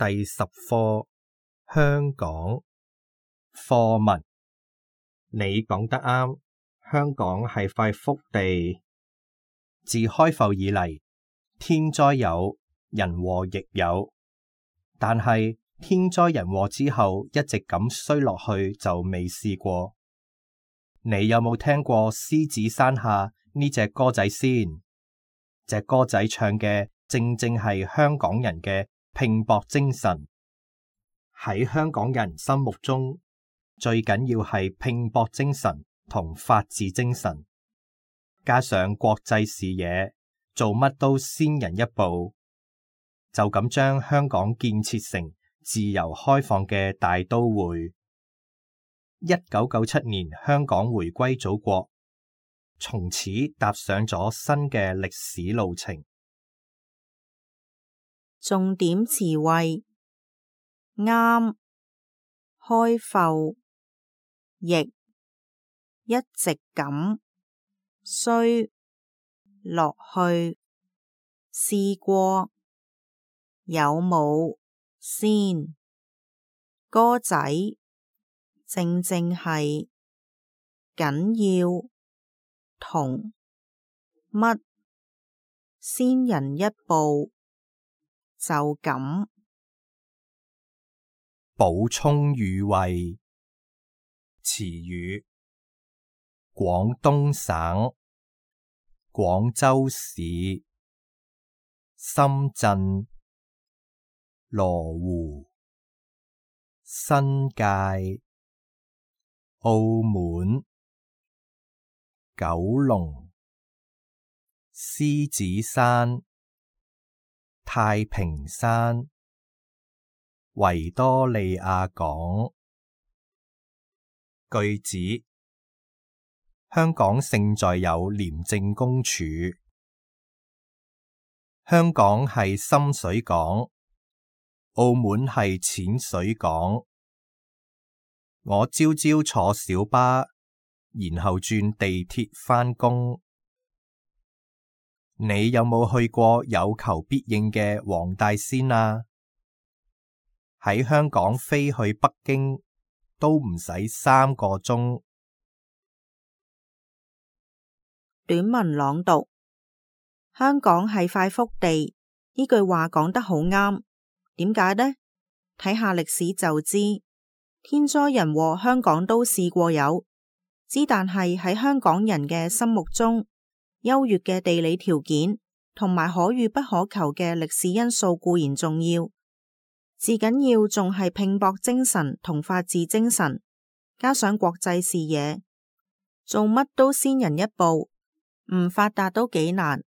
第10課香港課文。你講得啱，香港係塊福地。自開埠以嚟，天災有，人禍亦有，但係天災人禍之後一直咁衰落去就未試過。你有冇聽過獅子山下呢隻歌仔先？隻歌仔唱嘅正正係香港人嘅拼搏精神。喺香港人心目中，最緊要係拼搏精神同法治精神，加上國際視野，做乜都先人一步，就咁將香港建設成自由開放嘅大都會。1997年香港回歸祖國，從此踏上咗新嘅歷史路程。重點詞彙：啱、開埠、亦、一直咁、衰、落去、試過、有冇、先、歌仔、正正係、緊要、同、乜、先人一步、就咁。補充語彙：詞語，廣東省、廣州市、深圳、羅湖、新界、澳門、九龍、獅子山、太平山、維多利亞港。句子：香港勝在有廉政公署。香港係深水港，澳門係淺水港。我朝朝坐小巴，然後轉地鐵返工。你有冇去過有求必應嘅黃大仙啊？喺香港飛去北京都唔使3個鐘。短文朗讀：香港係塊福地，呢句話講得好啱。點解呢？睇下歷史就知。天災人禍香港都試過有，但係喺香港人嘅心目中，優越嘅地理條件同埋可遇不可求嘅歷史因素固然重要，至緊要仲係拼搏精神同法治精神，加上國際視野，做乜都先人一步，唔發達都幾難。